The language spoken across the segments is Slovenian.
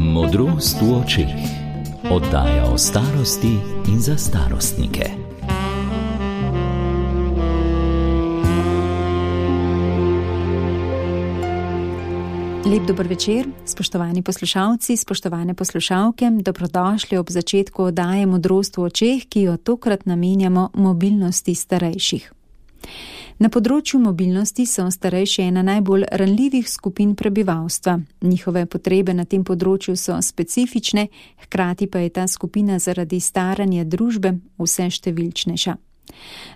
Modrost v očeh. Oddaja o starosti in za starostnike. Lep dober večer, spoštovani poslušalci, spoštovane poslušalke, dobrodošli ob začetku oddaje Modrost v očeh, ki jo tokrat namenjamo mobilnosti starejših. Na področju mobilnosti so starejši ena najbolj ranljivih skupin prebivalstva. Njihove potrebe na tem področju so specifične, hkrati pa je ta skupina zaradi staranja družbe vse številčnejša.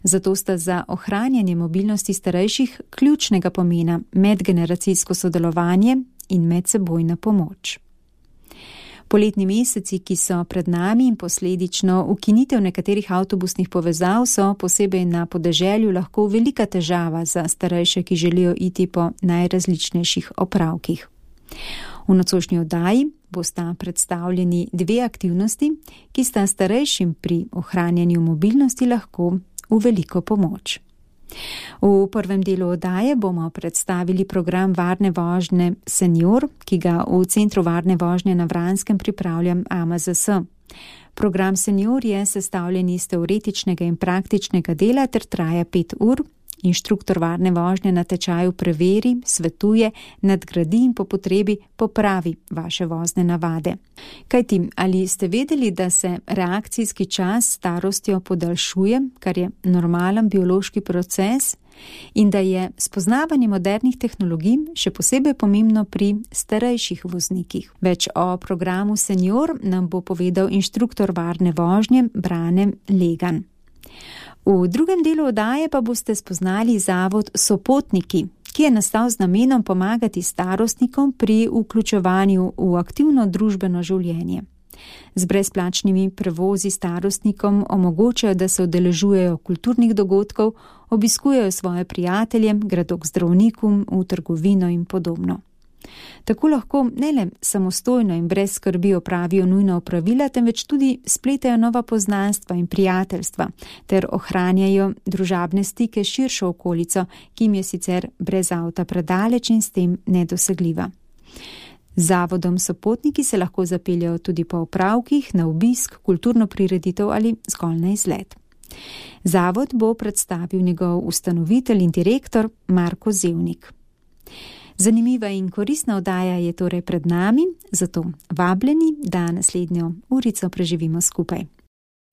Zato sta za ohranjanje mobilnosti starejših ključnega pomena medgeneracijsko sodelovanje in medsebojna pomoč. Poletni meseci, ki so pred nami in posledično ukinitev nekaterih avtobusnih povezav, so posebej na podeželju lahko velika težava za starejše, ki želijo iti po najrazličnejših opravkih. V nocojšnji oddaji bosta predstavljeni dve aktivnosti, ki sta starejšim pri ohranjanju mobilnosti lahko v veliko pomoč. V prvem delu oddaje bomo predstavili program varne vožnje Senior, ki ga v Centru varne vožnje na Vranskem pripravlja AMZS. Program Senior je sestavljen iz teoretičnega in praktičnega dela ter traja 5 ur. Inštruktor varne vožnje na tečaju preveri, svetuje, nadgradi in po potrebi popravi vaše vozne navade. Kajti, ali ste vedeli, da se reakcijski čas s starostjo podaljšuje, kar je normalen biološki proces, in da je spoznavanje modernih tehnologij še posebej pomembno pri starejših voznikih? Več o programu Senior nam bo povedal inštruktor varne vožnje Brane Legan. V drugem delu oddaje pa boste spoznali zavod Sopotniki, ki je nastal z namenom pomagati starostnikom pri vključevanju v aktivno družbeno življenje. Z brezplačnimi prevozi starostnikom omogočajo, da se udeležujejo kulturnih dogodkov, obiskujejo svoje prijatelje, gredo k zdravniku, v trgovino in podobno. Tako lahko ne le samostojno in brez skrbi opravijo nujna opravila, temveč tudi spletajo nova poznanstva in prijateljstva ter ohranjajo družabne stike s širšo okolico, ki jim je sicer brez avta predaleč in s tem nedosegljiva. Z zavodom Sopotniki se lahko zapeljajo tudi po opravkih, na obisk, kulturno prireditev ali zgolj na izlet. Zavod bo predstavil njegov ustanovitelj in direktor Marko Zevnik. Zanimiva in koristna oddaja je torej pred nami, zato vabljeni, da naslednjo urico preživimo skupaj.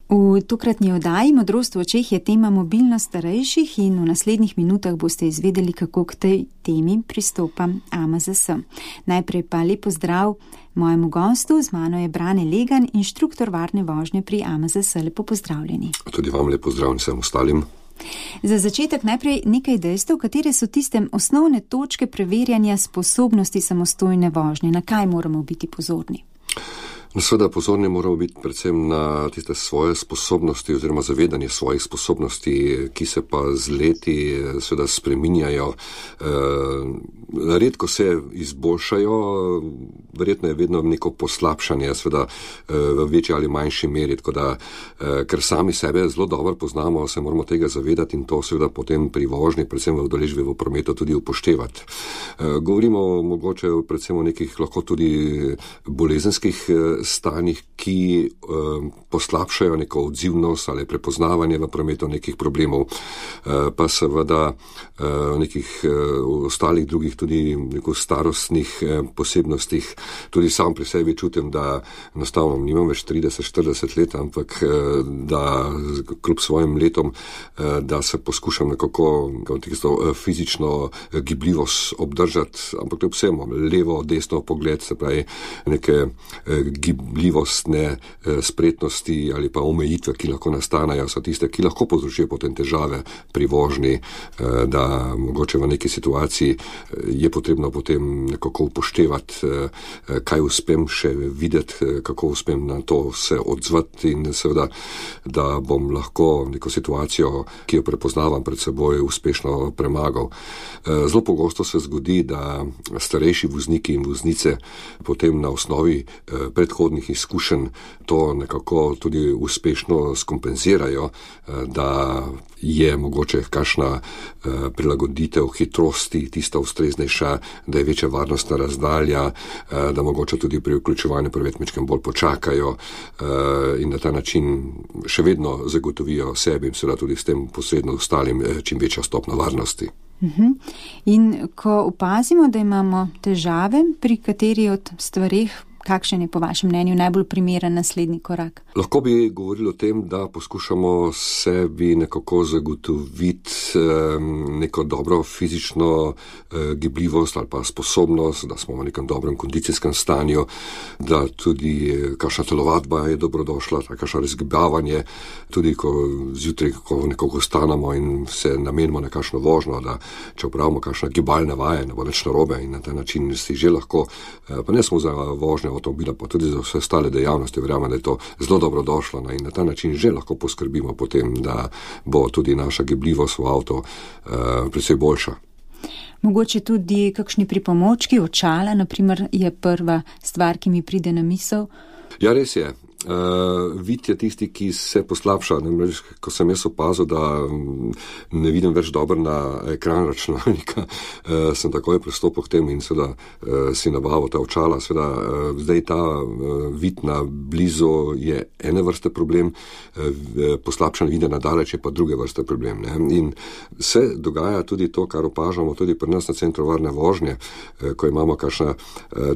V tokratni oddaji Modrost v očeh je tema mobilnost starejših in v naslednjih minutah boste izvedeli, kako k tej temi pristopa AMZS. Najprej pa lep pozdrav mojemu gostu, z mano je Brane Legan, inštruktor varne vožnje pri AMZS. Lepo pozdravljeni. Tudi vam lep pozdrav in vsem ostalim. Za začetek najprej nekaj dejstev, katere so tiste osnovne točke preverjanja sposobnosti samostojne vožnje, na kaj moramo biti pozorni? Seveda pozorni moramo biti predvsem na tiste svoje sposobnosti oziroma zavedanje svojih sposobnosti, ki se pa z leti seveda spreminjajo. Redko se izboljšajo, verjetno je vedno neko poslabšanje, seveda v večji ali manjši meri, tako da, ker sami sebe zelo dobro poznamo, se moramo tega zavedati in to seveda potem pri vožnji, predvsem v udeležbi v prometu tudi upoštevati. Govorimo mogoče predvsem o nekih lahko tudi bolezenskih stanjih, ki poslabšajo neko odzivnost ali prepoznavanje v prometu nekih problemov, pa seveda nekih ostalih drugih tudi neko starostnih posebnostih. Tudi sam pri sebi čutim, da enostavno nimam več 30-40 let, ampak da kljub svojim letom, da se poskušam nekako fizično gibljivost obdržati, ampak kljub vsemu levo, desno pogled, se pravi neke gibljivostne spretnosti ali pa omejitve, ki lahko nastanejo, so tiste, ki lahko povzročijo potem težave pri vožnji, da mogoče v neki situaciji je potrebno potem nekako upoštevati, kaj uspem še videti, kako uspem na to se odzvati in seveda, da bom lahko neko situacijo, ki jo prepoznavam pred seboj, uspešno premagal. Zelo pogosto se zgodi, da starejši vozniki in voznice potem na osnovi predhodnih predhodnih izkušenj to nekako tudi uspešno skompenzirajo, da je mogoče kakšna prilagoditev hitrosti tista ustreznejša, da je večja varnostna razdalja, da mogoče tudi pri vključevanju prvetmečkem bolj počakajo in na ta način še vedno zagotovijo sebi in seveda tudi s tem posredno ostalim čim večja stopna varnosti. In ko opazimo, da imamo težave pri kateri od stvareh, kakšen je po vašem mnenju najbolj primeren naslednji korak? Lahko bi govorili o tem, da poskušamo sebi nekako zagotoviti neko dobro fizično gibljivost ali pa sposobnost, da smo v nekem dobrem kondicijskem stanju, da tudi kakšna telovadba je dobrodošla, kakšno razgibavanje, tudi ko zjutraj nekako stanemo in se namenimo na kakšno vožnjo, da če opravimo kakšna gibalna vaja, ne bo nič narobe in na ta način si že lahko, pa ne samo za vožnjo avtomobila, pa tudi za vse ostale dejavnosti, verjamem, da je to zelo dobro došlo in na ta način že lahko poskrbimo potem, da bo tudi naša gibljivost v avtu precej boljša. Mogoče tudi kakšni pripomočki, očala, naprimer, je prva stvar, ki mi pride na misel. Ja, res je. Vid je tisti, ki se poslabša. Namreč, ko sem jaz opazil, da ne vidim več dobro na ekran računalnika, sem takoj pristopil k tem in seveda si nabavil ta očala. Seveda, zdaj ta vid na blizu je ene vrste problem, poslabšan vide na daleč je pa druge vrste problem. Ne? In se dogaja tudi to, kar opažamo tudi pri nas na centru varne vožnje, ko imamo kakšna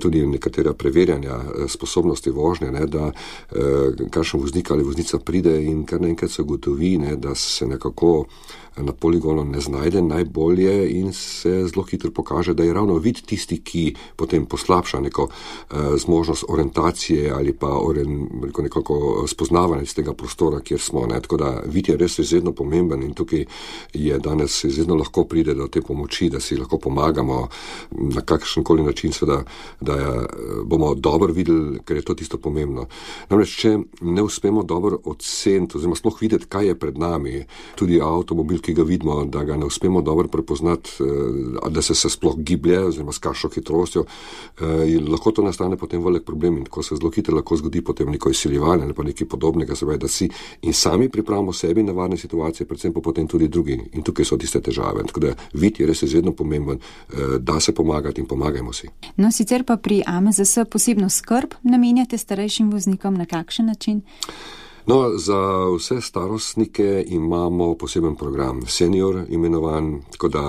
tudi nekatera preverjanja sposobnosti vožnje, ne, da kakšen voznik ali voznica pride in kar naenkrat se ugotovi, da se nekako na poligonu ne znajde najbolje in se zelo hitro pokaže, da je ravno vid tisti, ki potem poslabša neko zmožnost orientacije ali pa nekako spoznavanje iz tega prostora, kjer smo. Ne. Tako da vid je res izredno pomemben in tukaj je danes izredno lahko pride do te pomoči, da si lahko pomagamo na kakšenkoli način, seveda, da bomo dobro videli, ker je to tisto pomembno. Namreč, če ne uspemo dobro oceniti, oziroma sploh videti, kaj je pred nami, tudi avtomobil, ki ga vidimo, da ga ne uspemo dobro prepoznati, da se sploh giblje, oziroma s kakšno hitrostjo, lahko to nastane potem velik problem in ko se zelo hitro lahko zgodi potem neko izsiljevanje ali pa nekaj podobnega, se pravi, da si in sami pripravimo sebi na varne situacije, predvsem pa potem tudi drugi. In tukaj so tiste težave. Tako da vid je res izredno pomemben, da se pomagati in pomagajmo si. No, sicer pa pri AMZS posebno skrb namenjate starejšim voznikom na kakšen način? No, za vse starostnike imamo poseben program, senior imenovan, tako da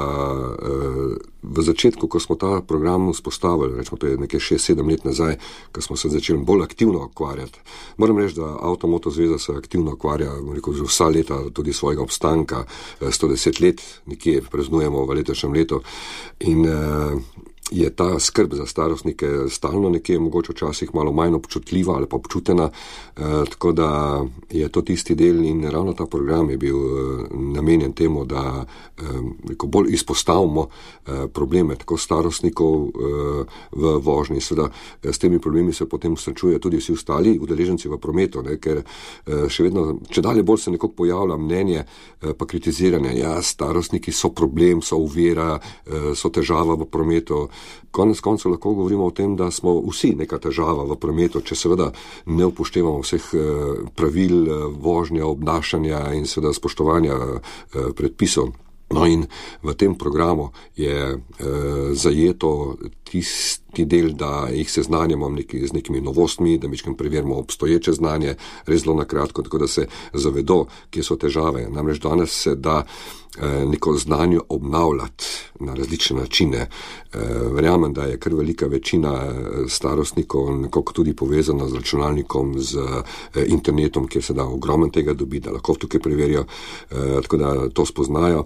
v začetku, ko smo ta program vzpostavili, rečemo, to je nekaj 6-7 let nazaj, ko smo se začeli bolj aktivno ukvarjati. Moram reči, da Avtomoto zveza se aktivno ukvarja, že vsa leta tudi svojega obstanka, 110 let, nekje praznujemo v letošnjem letu in je ta skrb za starostnike stalno nekje, mogoče včasih malo manj občutljiva ali pa občutena, tako da je to tisti del in ravno ta program je bil namenjen temu, da bolj izpostavimo probleme tako starostnikov v vožnji. Seveda s temi problemi se potem srečujejo tudi vsi ostali udeleženci v prometu, ne, ker še vedno, če dalje bolj se nekako pojavlja mnenje pa kritiziranje, ja, starostniki so problem, so ovira, so težava v prometu. Konec koncev lahko govorimo o tem, da smo vsi neka težava v prometu, če seveda ne upoštevamo vseh pravil vožnja, obnašanja in seveda spoštovanja predpisov. No in v tem programu je zajeto tisti del, da jih seznanjamo z nekimi novostmi, da mičkim preverimo obstoječe znanje, res zelo na kratko, tako da se zavedo, kje so težave. Namreč danes se da neko znanje obnavljati na različne načine. Verjamem, da je kar velika večina starostnikov nekako tudi povezana z računalnikom, z internetom, kjer se da ogromno tega dobi, da lahko tukaj preverijo, tako da to spoznajo.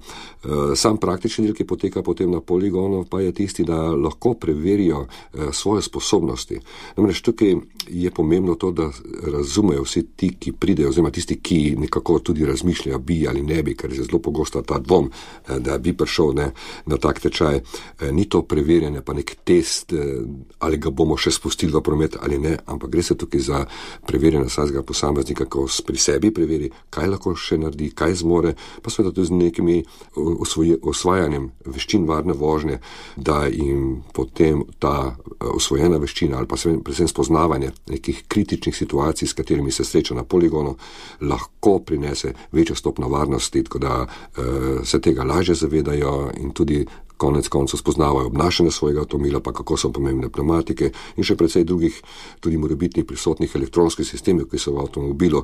Sam praktični del, ki poteka potem na poligonu, pa je tisti, da lahko preverijo svoje sposobnosti. Namreč tukaj je pomembno to, da razumejo vsi ti, ki pridejo, oziroma tisti, ki nekako tudi razmišljajo, bi ali ne bi, ker je zelo pogosta ta ta dvom, da bi prišel na tak tečaj. Ni to preverjanje, pa nek test, ali ga bomo še spustili v promet ali ne, ampak gre se tukaj za preverjanje vsakega posameznika, ko pri sebi preveri, kaj lahko še naredi, kaj zmore, pa seveda tudi z nekimi osvajanjem veščin varne vožnje, da jim potem ta osvojena veščina ali pa predvsem spoznavanje nekih kritičnih situacij, s katerimi se sreča na poligonu, lahko prinese večjo stopnjo varnosti, tako da se tega lažje zavedajo in tudi konec koncev spoznavajo obnašanje svojega avtomobila, pa kako so pomembne pneumatike in še precej drugih tudi morebitnih prisotnih elektronskih sistemov, ki so v avtomobilu,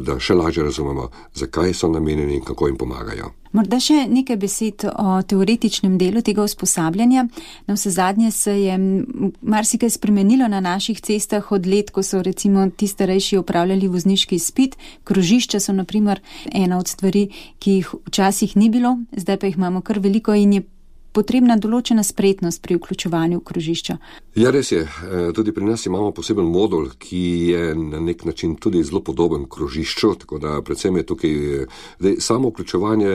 da še lažje razumemo, zakaj so namenjeni in kako jim pomagajo. Morda še nekaj besed o teoretičnem delu tega usposabljanja. Na vsezadnje se je marsikaj spremenilo na naših cestah od let, ko so recimo ti starejši opravljali vozniški izpit. Krožišča so na primer ena od stvari, ki jih včasih ni bilo, zdaj pa jih imamo kar veliko in je potrebna določena spretnost pri vključevanju v krožišča. Ja, res je. Tudi pri nas imamo poseben modul, ki je na nek način tudi zelo podoben krožišču, tako da predvsem je tukaj samo vključevanje,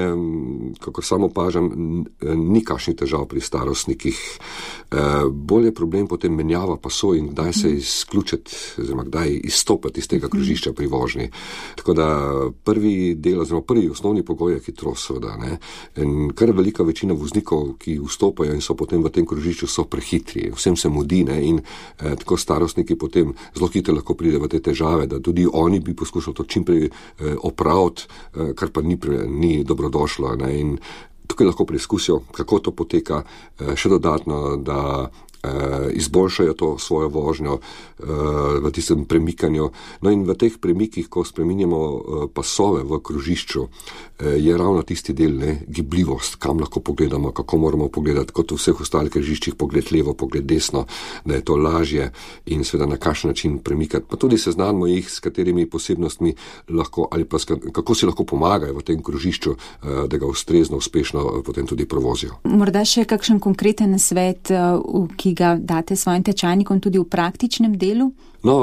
kako samo opažam, ni kakšnih težav pri starostnikih. Bolj je problem potem menjava pasov in kdaj se izključiti, oziroma kdaj izstopati iz tega krožišča pri vožnji. Tako da prvi osnovni pogoj je hitrost, seveda, ne. In kar velika večina voznikov, ki vstopajo in so potem v tem krožišču, so prehitri, vsem se mudi, ne, in tako starostniki potem zelo hitro lahko pride v te težave, da tudi oni bi poskušali to čim prej opraviti, kar pa ni dobrodošlo, ne, in tukaj lahko preizkusijo, kako to poteka, še dodatno, da izboljšajo to svojo vožnjo v tistem premikanju. No in v teh premikih, ko spreminjamo pasove v krožišču, je ravno tisti del, gibljivost, kam lahko pogledamo, kako moramo pogledati, kot v vseh ostalih križiščih, pogled levo, pogled desno, da je to lažje in seveda na kakšen način premikati. Pa tudi seznanimo jih, s katerimi posebnostmi lahko ali pa kako si lahko pomagajo v tem krožišču, da ga ustrezno, uspešno potem tudi provozijo. Morda še kakšen konkreten nasvet, ki ga date svojim tečajnikom tudi v praktičnem delu? No,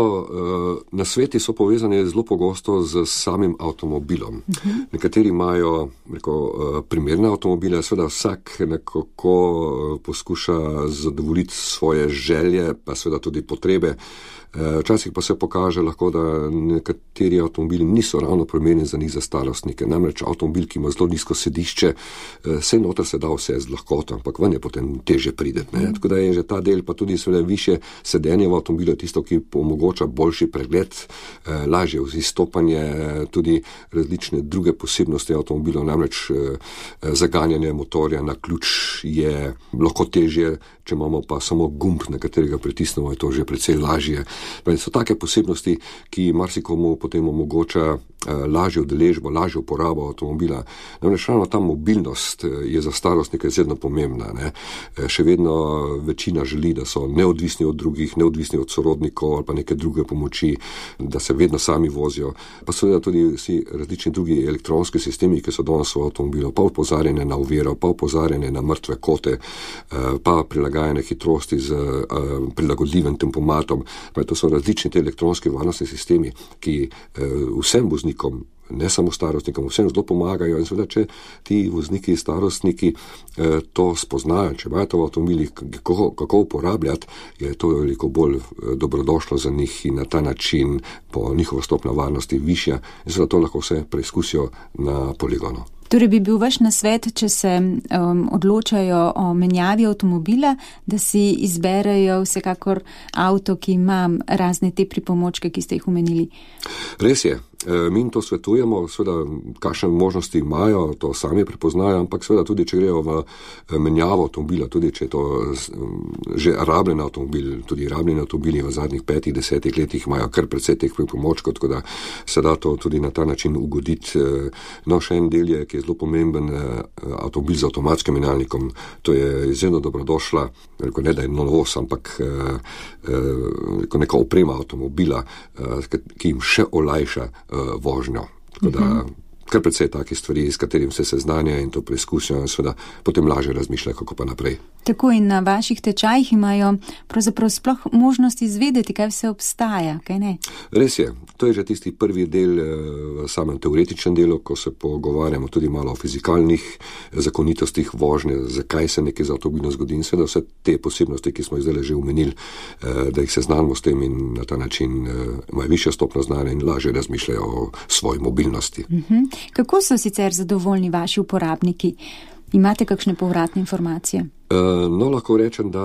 nasveti so povezani zelo pogosto z samim avtomobilom. Nekateri imajo primerne avtomobile, seveda vsak nekako poskuša zadovoljiti svoje želje, pa seveda tudi potrebe. Včasih pa se pokaže lahko, da nekateri avtomobili niso ravno primerni za njih za starostnike. Namreč avtomobil, ki ima zelo nizko sedišče, vse noter se da vse z lahkoto, ampak ven je potem teže prideti. Tako da je že ta del, pa tudi seveda više sedenje v avtomobilu, tisto, ki omogoča boljši pregled, lažje izstopanje, tudi različne druge posebnosti avtomobilov, namreč zaganjanje motorja na ključ je lahko težje, če imamo pa samo gumb, na katerega pritisnemo, je to že precej lažje. So take posebnosti, ki marsikomu potem omogoča lažjo udeležbo, lažjo uporabo avtomobila. Namreč ravno ta mobilnost je za starostnike izredno pomembna. Ne? Še vedno večina želi, da so neodvisni od drugih, neodvisni od sorodnikov ali pa neke druge pomoči, da se vedno sami vozijo. Pa seveda tudi vsi različni drugi elektronski sistemi, ki so danes v avtomobilu, pa opozarjanje na oviro, pa opozarjanje na mrtve kote, pa prilagajanje hitrosti z prilagodljivim tempomatom. To so različni te elektronski varnostni sistemi, ki vsem voznikom, ne samo starostnikom, vsem zelo pomagajo in seveda, če ti vozniki, starostniki to spoznajo, če imajo to v avtomobilih, kako uporabljati, je to veliko bolj dobrodošlo za njih in na ta način po njihovo stopnjo varnosti višja in seveda to lahko vse preizkusijo na poligonu. Torej bi bil vaš nasvet, če se odločajo o menjavi avtomobila, da si izberejo vsekakor avto, ki ima razne te pripomočke, ki ste jih omenili? Res je. Mi to svetujemo, seveda, kakšne možnosti imajo, to sami prepoznajo, ampak seveda tudi, če grejo v menjavo avtomobila, tudi če je to že rabljen avtomobil, tudi rabljeni avtomobili v zadnjih 5-10 letih imajo kar precej teh pripomočkov, tako da se da to tudi na ta način ugoditi. No, še en del je, ki je zelo pomemben, avtomobil z avtomatskim menjalnikom, to je izjemno dobrodošla, ne da je novost, ampak neka oprema avtomobila, ki jim še olajša vožnjo. Tako da kar precej takih stvari, s katerim se seznanja in to preizkusijo in seveda potem lažje razmišljajo, kako pa naprej. Tako in na vaših tečajih imajo pravzaprav sploh možnost izvedeti, kaj vse obstaja, kaj ne? Res je. To je že tisti prvi del v samem teoretičnem delu, ko se pogovarjamo tudi malo o fizikalnih zakonitostih vožnje, zakaj se nekaj z avtomobilom zgodi in seveda vse te posebnosti, ki smo jih zdaj že omenili, da jih seznanimo s tem in na ta način imajo višjo stopnjo znanja in lažje razmišljajo o svoji mobilnosti. Kako so sicer zadovoljni vaši uporabniki? Imate kakšne povratne informacije? No, lahko rečem, da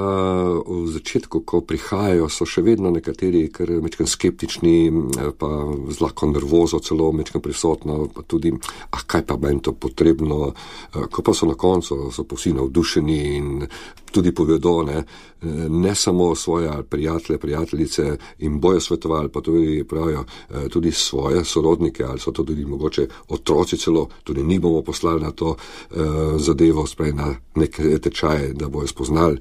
v začetku, ko prihajajo, so še vedno nekateri kar mečkam skeptični, pa z lahko nervozo celo mečkam prisotno, pa tudi, kaj pa meni to potrebno, ko pa so na koncu, so pa vsi navdušeni in tudi povedo, ne samo svoje prijatelje, prijateljice in bojo svetovali, pa tudi pravijo tudi svoje sorodnike, ali so to tudi mogoče otroci celo, tudi ni bomo poslali na to zadevo, sprej na nek tečaj, da bojo spoznali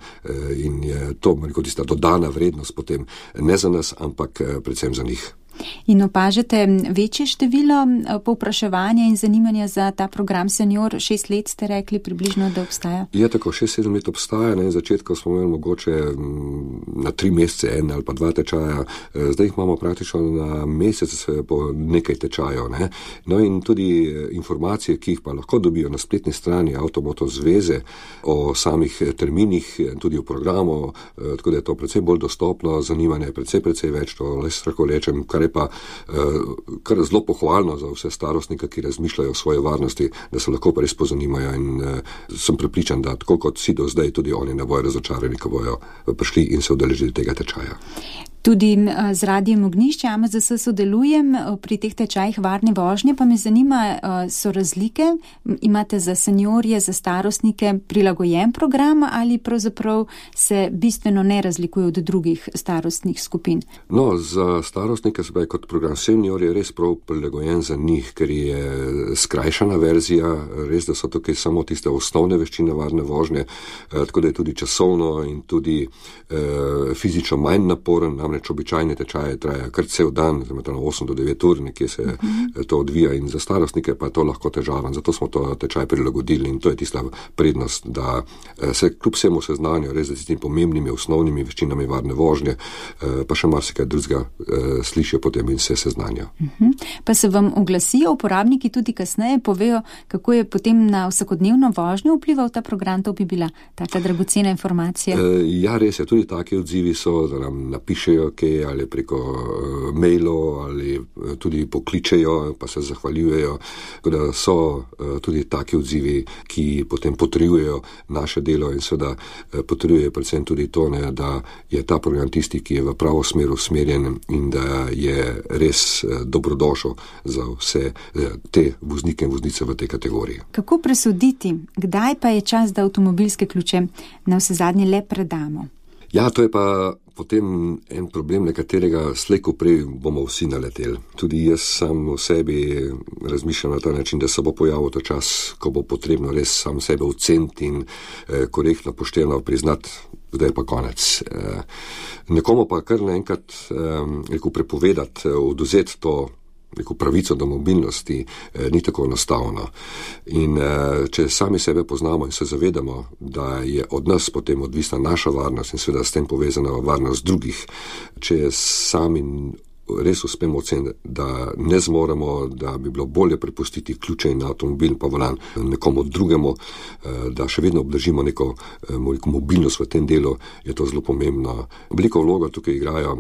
in je to tista dodana vrednost potem ne za nas, ampak predvsem za njih. In opažate večje število povpraševanja in zanimanja za ta program Senior? 6 let ste rekli približno, da obstaja? Je tako, 6-7 let obstaja. Na začetku smo imeli mogoče na 3 mesece en ali pa 2 tečaja. Zdaj jih imamo praktično na mesec po nekaj tečajev. No in tudi informacije, ki jih pa lahko dobijo na spletni strani Avtomoto zveze o samih terminih, tudi o programu, tako da je to precej bolj dostopno, zanimanje je precej več, to lahko rečem, kar je pa kar zelo pohvalno za vse starostnike, ki razmišljajo o svoji varnosti, da se lahko pa res pozanimajo in sem prepričan, da tako kot si do zdaj, tudi oni ne bojo razočarani, ko bojo prišli in se udeležili tega tečaja. Tudi z Radiem Ognjišče AMZS sodelujem pri teh tečajih varne vožnje, pa me zanima, so razlike? Imate za seniorje, za starostnike prilagojen program ali pravzaprav se bistveno ne razlikuje od drugih starostnih skupin? No, za starostnike se kot program Senior je res prav prilagojen za njih, ker je skrajšana verzija, res da so tukaj samo tiste osnovne veščine varne vožnje, tako da je tudi časovno in tudi fizično manj naporen, namreč običajne tečaje traja kar cel dan, 8 do 9 ur, nekje se to odvija in za starostnike pa je to lahko težaven, zato smo to tečaj prilagodili in to je tista prednost, da se kljub vsemu seznanijo res z tistimi pomembnimi osnovnimi veščinami varne vožnje, pa še marsikaj drugega slišijo potem in se seznanijo. Pa se vam oglasijo uporabniki tudi kasneje, povejo, kako je potem na vsakodnevno vožnjo vplival ta program, to bi bila taka dragocena informacija. Ja, res je, tudi taki odzivi so, da nam napišejo kaj ali preko mailov ali tudi pokličejo, pa se zahvaljujejo, da so tudi taki odzivi, ki potem potrjujejo naše delo in seveda potrjujejo predvsem tudi to, da je ta program tisti, ki je v pravo smer usmerjen in da je res dobrodošel za vse te voznike in voznice v tej kategoriji. Kako presoditi, kdaj pa je čas, da avtomobilske ključe na vse zadnje le predamo? Ja, to je pa potem en problem, na katerega slej ko prej bomo vsi naleteli. Tudi jaz sam v sebi razmišljam na ta način, da se bo pojavil ta čas, ko bo potrebno res sam sebe oceniti in korektno pošteno priznati, zdaj je pa konec. Nekomu pa kar naenkrat prepovedati, odvzeti to pravico do mobilnosti ni tako enostavno. In če sami sebe poznamo in se zavedamo, da je od nas potem odvisna naša varnost in seveda s tem povezana varnost drugih, če sami res uspemo oceniti, da ne zmoremo, da bi bilo bolje prepustiti ključe in avtomobil pa volan nekomu drugemu, da še vedno obdržimo neko mobilnost v tem delu, je to zelo pomembno. Veliko vlogo tukaj igrajo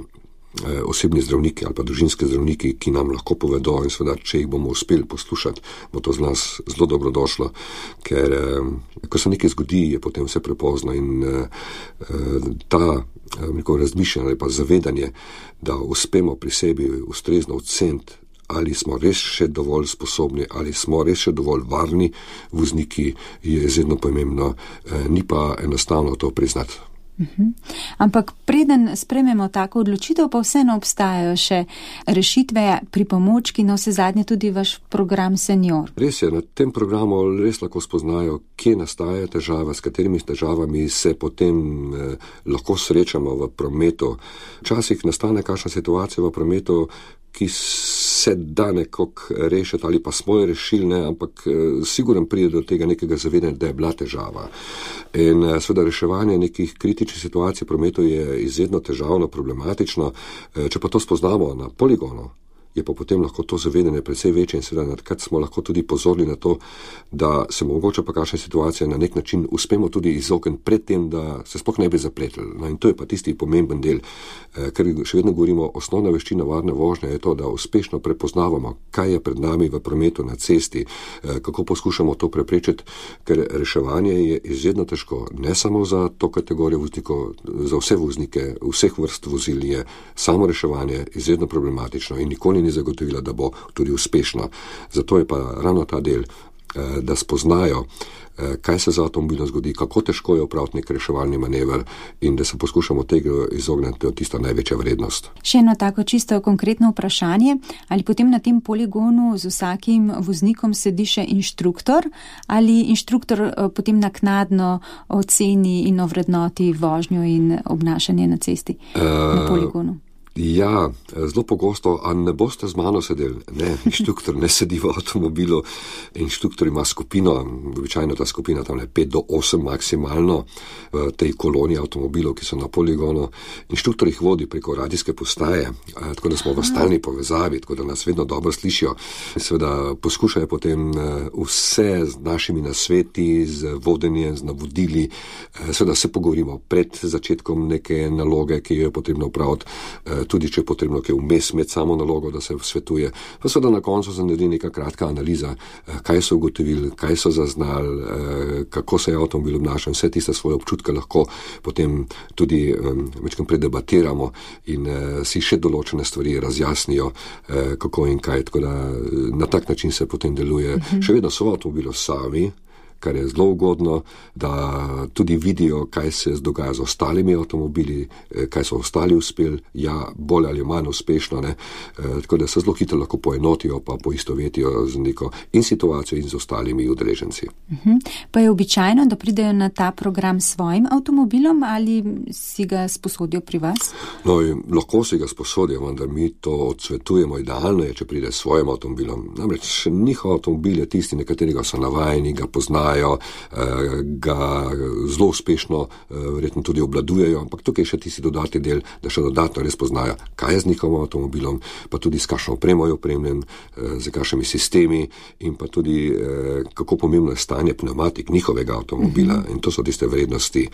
osebni zdravniki ali pa družinski zdravniki, ki nam lahko povedo in seveda, če jih bomo uspeli poslušati, bo to z nas zelo dobrodošlo, ker ko se nekaj zgodi, je potem vse prepozno in ta razmišljanje ali pa zavedanje, da uspemo pri sebi ustrezno oceniti, ali smo res še dovolj sposobni, ali smo res še dovolj varni vozniki, je izredno pomembno, ni pa enostavno to priznati. Ampak preden sprejmemo tako odločitev, pa vseeno obstajajo še rešitve, pripomočki, no vse zadnje tudi vaš program Senior. Res je, na tem programu res lahko spoznajo, kje nastaja težava, s katerimi težavami se potem lahko srečamo v prometu. Včasih nastane kakšna situacija v prometu, ki se da nekako rešiti ali pa smo jo rešili, ne, ampak sigurno pride do tega nekega zavedanja, da je bila težava. In seveda reševanje nekih kritičnih situacij v prometu je izredno težavno, problematično. Če pa to spoznamo na poligonu, je pa potem lahko to zavedanje precej večje in seveda nadkrat smo lahko tudi pozorni na to, da se mogoče pa kakšne situacije na nek način uspemo tudi izogniti pred tem, da se sploh ne bi zapletli. No, in to je pa tisti pomemben del, ker še vedno govorimo, osnovna veščina varne vožnje je to, da uspešno prepoznavamo, kaj je pred nami v prometu na cesti, kako poskušamo to preprečiti, ker reševanje je izredno težko, ne samo za to kategorijo voznikov, za vse voznike, vseh vrst vozil je samo reševanje izredno problematično in nikoli ni zagotovila, da bo tudi uspešno. Zato je pa ravno ta del, da spoznajo, kaj se za avtomobilom zgodi, kako težko je opraviti nek reševalni manever in da se poskušamo tega izogniti, to je tista največja vrednost. Še eno tako čisto konkretno vprašanje, ali potem na tem poligonu z vsakim voznikom sedi še inštruktor ali inštruktor potem naknadno oceni in ovrednoti vožnjo in obnašanje na cesti na poligonu? Ja, zelo pogosto, a ne boste z mano sedeli? Ne, inštruktor ne sedi v avtomobilu, inštruktor ima skupino, običajno ta skupina tam 5 do 8 maksimalno v tej koloni avtomobilov, ki so na poligonu. Inštruktor jih vodi preko radijske postaje, tako da smo v stalni povezavi, tako da nas vedno dobro slišijo. Seveda poskušajo potem vse z našimi nasveti, z vodenjem, z navodili, seveda se pogovorimo pred začetkom neke naloge, ki jo je potrebno upraviti, tudi če je potrebno kaj vmes med samo nalogo, da se svetuje. Pa seveda na koncu se naredi neka kratka analiza, kaj so ugotovili, kaj so zaznali, kako se je avtomobil obnašal, vse tiste svoje občutke lahko potem tudi večkrat predebatiramo in si še določene stvari razjasnijo, kako in kaj. Tako da na tak način se potem deluje. Še vedno so v avtomobilu sami, kar je zelo ugodno, da tudi vidijo, kaj se dogaja z ostalimi avtomobili, kaj so ostali uspeli, ja, bolj ali manj uspešno, ne. Tako da se zelo hitro lahko poenotijo, pa poistovetijo z neko in situacijo in z ostalimi udeleženci. Pa je običajno, da pridejo na ta program s svojim avtomobilom ali si ga sposodijo pri vas? No, lahko si ga sposodijo, vendar mi to odsvetujemo. Idealno je, če pride s svojim avtomobilom. Namreč njihov avtomobil je tisti, na katerega so navajeni, ga poznajo, ga zelo uspešno verjetno tudi obladujejo, ampak tukaj je še tisti dodatni del, da še dodatno res poznajo, kaj je z njihovim avtomobilom, pa tudi s kakšno opremo je opremljen, z kakšnimi sistemi in pa tudi kako pomembno je stanje pneumatik njihovega avtomobila in to so tiste vrednosti,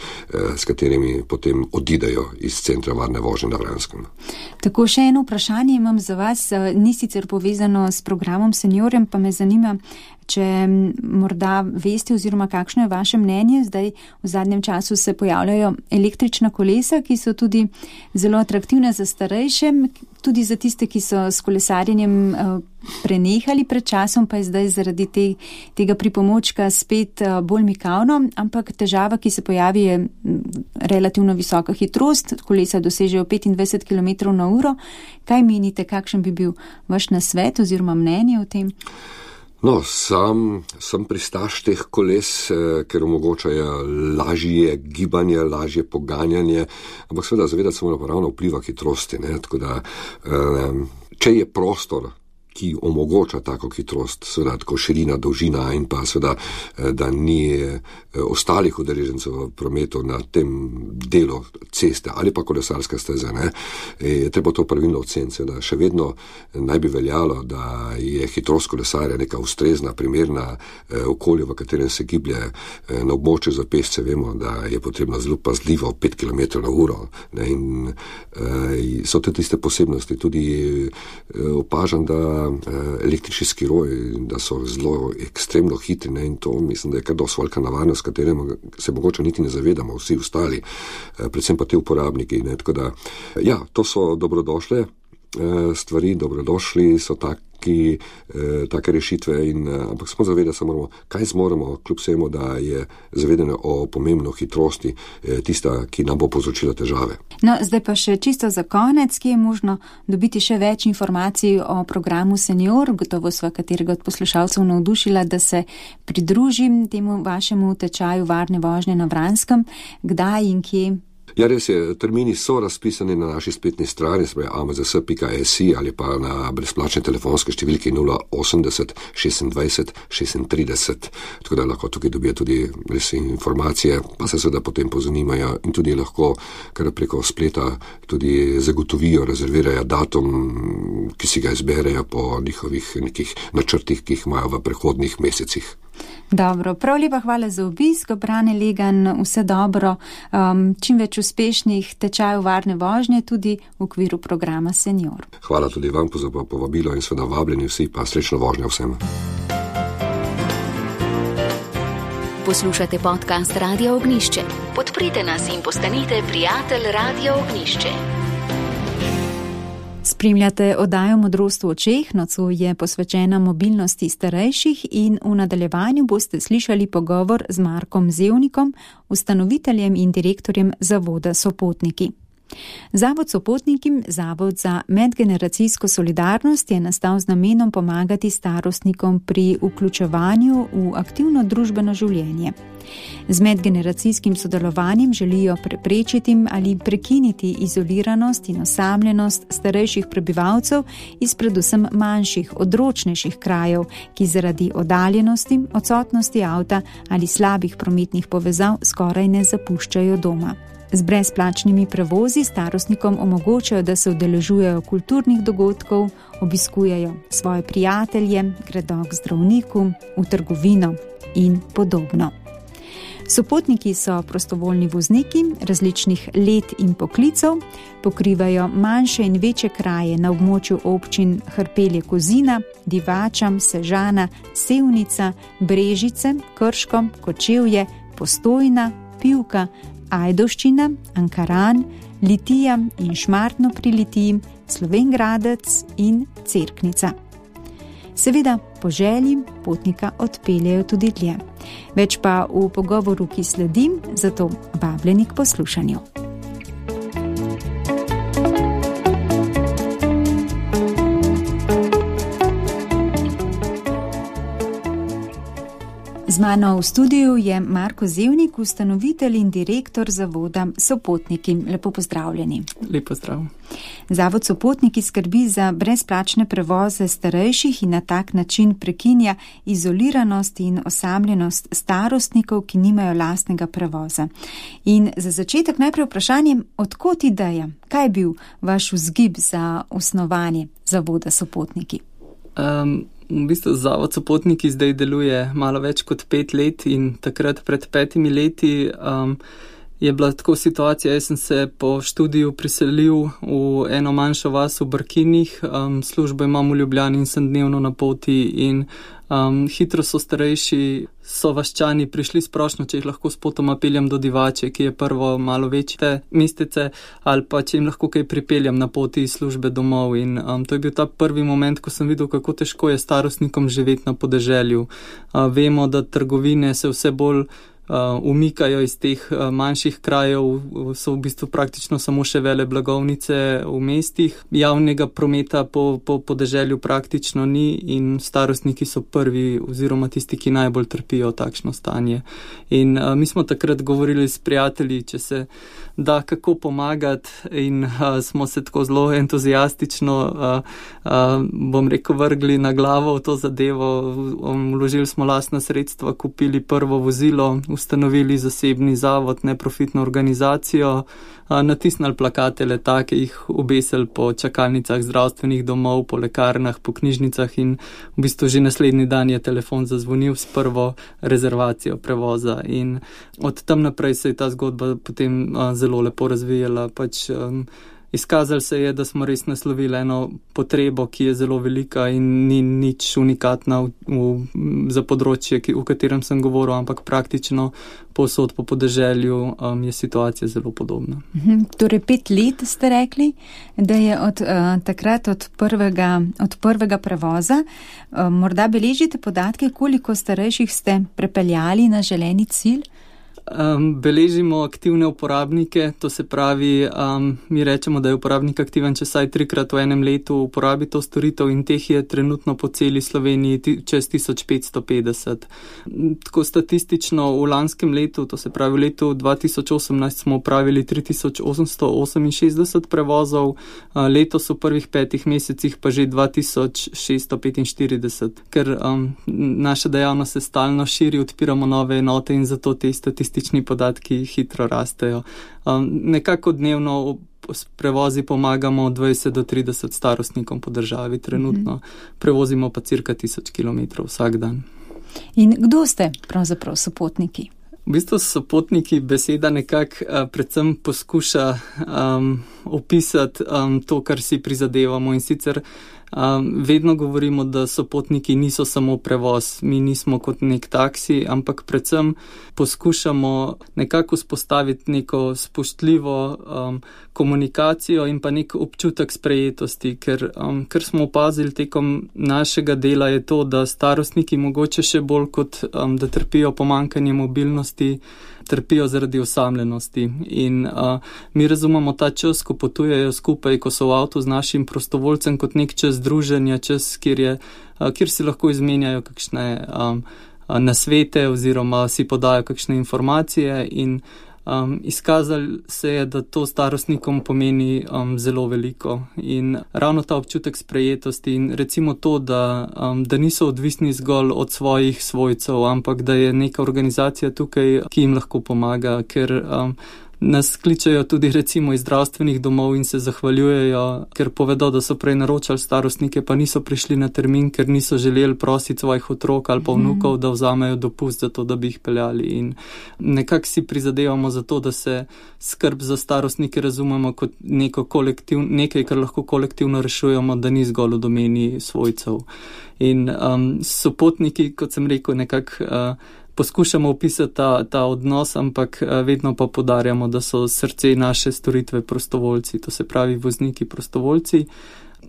s katerimi potem odidejo iz centra varne vožnje na Vranskem. Tako, še eno vprašanje imam za vas, ni sicer povezano s programom Seniorjem, pa me zanima, če morda veste oziroma kakšno je vaše mnenje, zdaj v zadnjem času se pojavljajo električna kolesa, ki so tudi zelo atraktivna za starejše, tudi za tiste, ki so s kolesarjenjem prenehali pred časom, pa je zdaj zaradi tega pripomočka spet bolj mikavno, ampak težava, ki se pojavi, je relativno visoka hitrost, kolesa dosežejo 25 km/h. Kaj menite, kakšen bi bil vaš nasvet oziroma mnenje o tem? No, sam sem pristaš teh koles, ker omogočajo lažje gibanje, lažje poganjanje, ampak seveda zavedati se moramo ravno vpliva hitrosti, ne, tako da, če je prostor, ki omogoča tako hitrost, seveda tako širina, dolžina in pa seveda, da ni ostalih udeležencev v prometu na tem delu ceste ali pa kolesarske steze, ne, je treba to pravilno oceniti, seveda še vedno naj bi veljalo, da je hitrost kolesarja neka ustrezna, primerna okolju, v katerem se giblje. Na območju za pešce vemo, da je potrebno zelo pazljivo 5 km/h, ne, in so te tiste posebnosti. Tudi opažam, da električni skiroji, da so zelo ekstremno hitri, ne, in to mislim, da je kar dosti velika nevarnost, s katerim se mogoče niti ne zavedamo vsi ostali, predvsem pa te uporabniki, ne, tako da, ja, to so dobrodošle stvari, dobrodošli so take rešitve, ampak smo zavedati se moramo, kaj zmoremo, kljub vsemu, da je zavedanje o pomembno hitrosti tista, ki nam bo povzročila težave. No, zdaj pa še čisto za konec, ki je možno dobiti še več informacij o programu Senior, gotovo sva katerega od poslušalcev navdušila, da se pridružim temu vašemu tečaju varne vožnje na Vranskem, kdaj in kje? Ja, res je, termini so razpisani na naši spletni strani, amzs.si ali pa na brezplačne telefonske številki 080 26 36, tako da lahko tukaj dobijo tudi res informacije, pa se seveda potem pozanimajo in tudi lahko kar preko spleta tudi zagotovijo, rezervirajo datum, ki si ga izberejo po njihovih nekih načrtih, ki jih imajo v prihodnjih mesecih. Dobro, prav lepa hvala za obisk, Brane Legan, vse dobro, čim več uspešnih tečajev varne vožnje tudi v okviru programa Senior. Hvala tudi vam za povabilo in seveda vabljeni vsi, pa srečno vožnjo vsem. Poslušate podcast Radio Ognjišče. Podprite nas in postanite prijatelj Radio Ognjišče. Spremljate oddajo Modrost v očeh, nocoj je posvečena mobilnosti starejših in v nadaljevanju boste slišali pogovor z Markom Zevnikom, ustanoviteljem in direktorjem zavoda Sopotniki. Zavod Sopotniki, zavod za medgeneracijsko solidarnost, je nastal z namenom pomagati starostnikom pri vključevanju v aktivno družbeno življenje. Z medgeneracijskim sodelovanjem želijo preprečiti ali prekiniti izoliranost in osamljenost starejših prebivalcev iz predvsem manjših, odročnejših krajev, ki zaradi oddaljenosti, odsotnosti avta ali slabih prometnih povezav skoraj ne zapuščajo doma. Z brezplačnimi prevozi starostnikom omogočajo, da se udeležujejo kulturnih dogodkov, obiskujejo svoje prijatelje, gredo k zdravniku, v trgovino in podobno. Sopotniki so prostovoljni vozniki različnih let in poklicev, pokrivajo manjše in večje kraje na območju občin Hrpelje-Kozina, Divača, Sežana, Sevnica, Brežice, Krško, Kočevje, Postojna, Pivka, Ajdovščina, Ankaran, Litija in Šmartno pri Litiji, Slovenj Gradec in Cerknica. Seveda po želji potnika odpeljejo tudi dlje. Več pa v pogovoru, ki sledi, zato vabljeni k poslušanju. Z mano v studiu je Marko Zevnik, ustanovitelj in direktor zavoda Sopotniki. Lepo pozdravljeni. Lep pozdrav. Zavod Sopotniki skrbi za brezplačne prevoze starejših in na tak način prekinja izoliranost in osamljenost starostnikov, ki nimajo lastnega prevoza. In za začetek najprej vprašanje, odkot ideja? Kaj je bil vaš vzgib za osnovanje zavoda Sopotniki? V bistvu zavod Sopotniki zdaj deluje malo več kot 5 let in takrat pred 5 leti je bila tako situacija, jaz sem se po študiju priselil v eno manjšo vas v Brkinih, službo imam v Ljubljani in sem dnevno na poti in hitro so starejši sovaščani prišli sprošno, če jih lahko s potoma peljem do Divače, ki je prvo malo večje mestece, ali pa če jim lahko kaj pripeljem na poti iz službe domov. In to je bil ta prvi moment, ko sem videl, kako težko je starostnikom živeti na podeželju. Vemo, da trgovine se vse bolj umikajo iz teh manjših krajev, so v bistvu praktično samo še vele blagovnice v mestih. Javnega prometa po podeželju praktično ni in starostniki so prvi oziroma tisti, ki najbolj trpijo takšno stanje. In mi smo takrat govorili s prijatelji, če se da kako pomagati in smo se tako zelo entuzijastično, bom rekel, vrgli na glavo v to zadevo. Vložili smo lastna sredstva, kupili prvo vozilo, ustanovili zasebni zavod, neprofitno organizacijo, natisnili plakate letake, jih obesili po čakalnicah zdravstvenih domov, po lekarnah, po knjižnicah in v bistvu že naslednji dan je telefon zazvonil s prvo rezervacijo prevoza. In od tam naprej se je ta zgodba potem zelo lepo razvijala. Izkazalo se je, da smo res naslovili eno potrebo, ki je zelo velika in ni nič unikatna za področje, v katerem sem govoril, ampak praktično povsod po podeželju je situacija zelo podobna. Torej 5 let ste rekli, da je od takrat od prvega prevoza. Morda beležite podatke, koliko starejših ste prepeljali na želeni cilj? Beležimo aktivne uporabnike, to se pravi, mi rečemo, da je uporabnik aktiven, če vsaj 3-krat v enem letu uporabi to storitev in teh je trenutno po celi Sloveniji čez 1550. Tako statistično v lanskem letu, to se pravi v letu 2018 smo upravili 3868 prevozov, letos v prvih 5 mesecih pa že 2645, ker naša dejavnost se stalno širi, odpiramo nove enote in zato te statistični podatki hitro rastejo. Nekako dnevno s prevozi pomagamo 20 do 30 starostnikom po državi trenutno. Prevozimo pa cirka 1000 km vsak dan. In kdo ste pravzaprav sopotniki? V bistvu sopotniki beseda nekako predvsem poskuša opisati to, kar si prizadevamo, in sicer vedno govorimo, da sopotniki niso samo prevoz, mi nismo kot nek taksi, ampak predvsem poskušamo nekako vzpostaviti neko spoštljivo komunikacijo in pa nek občutek sprejetosti, ker smo opazili tekom našega dela je to, da starostniki mogoče še bolj kot da trpijo pomanjkanje mobilnosti, trpijo zaradi osamljenosti in mi razumemo ta čas, ko potujejo skupaj, ko so v avtu z našim prostovoljcem, kot nek čas druženja, čas, kjer si lahko izmenjajo kakšne nasvete oziroma si podajo kakšne informacije in izkazali se je, da to starostnikom pomeni zelo veliko in ravno ta občutek sprejetosti in recimo to, da niso odvisni zgolj od svojih svojcev, ampak da je neka organizacija tukaj, ki jim lahko pomaga, ker nas kličejo tudi recimo iz zdravstvenih domov in se zahvaljujejo, ker povedo, da so prej naročali starostnike, pa niso prišli na termin, ker niso želeli prositi svojih otrok ali pa vnukov, da vzamejo dopust za to, da bi jih peljali. In nekako si prizadevamo za to, da se skrb za starostnike razumemo kot nekaj, kar lahko kolektivno rešujemo, da ni zgolj v domeni svojcev. In sopotniki, kot sem rekel, nekako poskušamo opisati ta odnos, ampak vedno pa poudarjamo, da so srce naše storitve prostovoljci, to se pravi vozniki prostovoljci.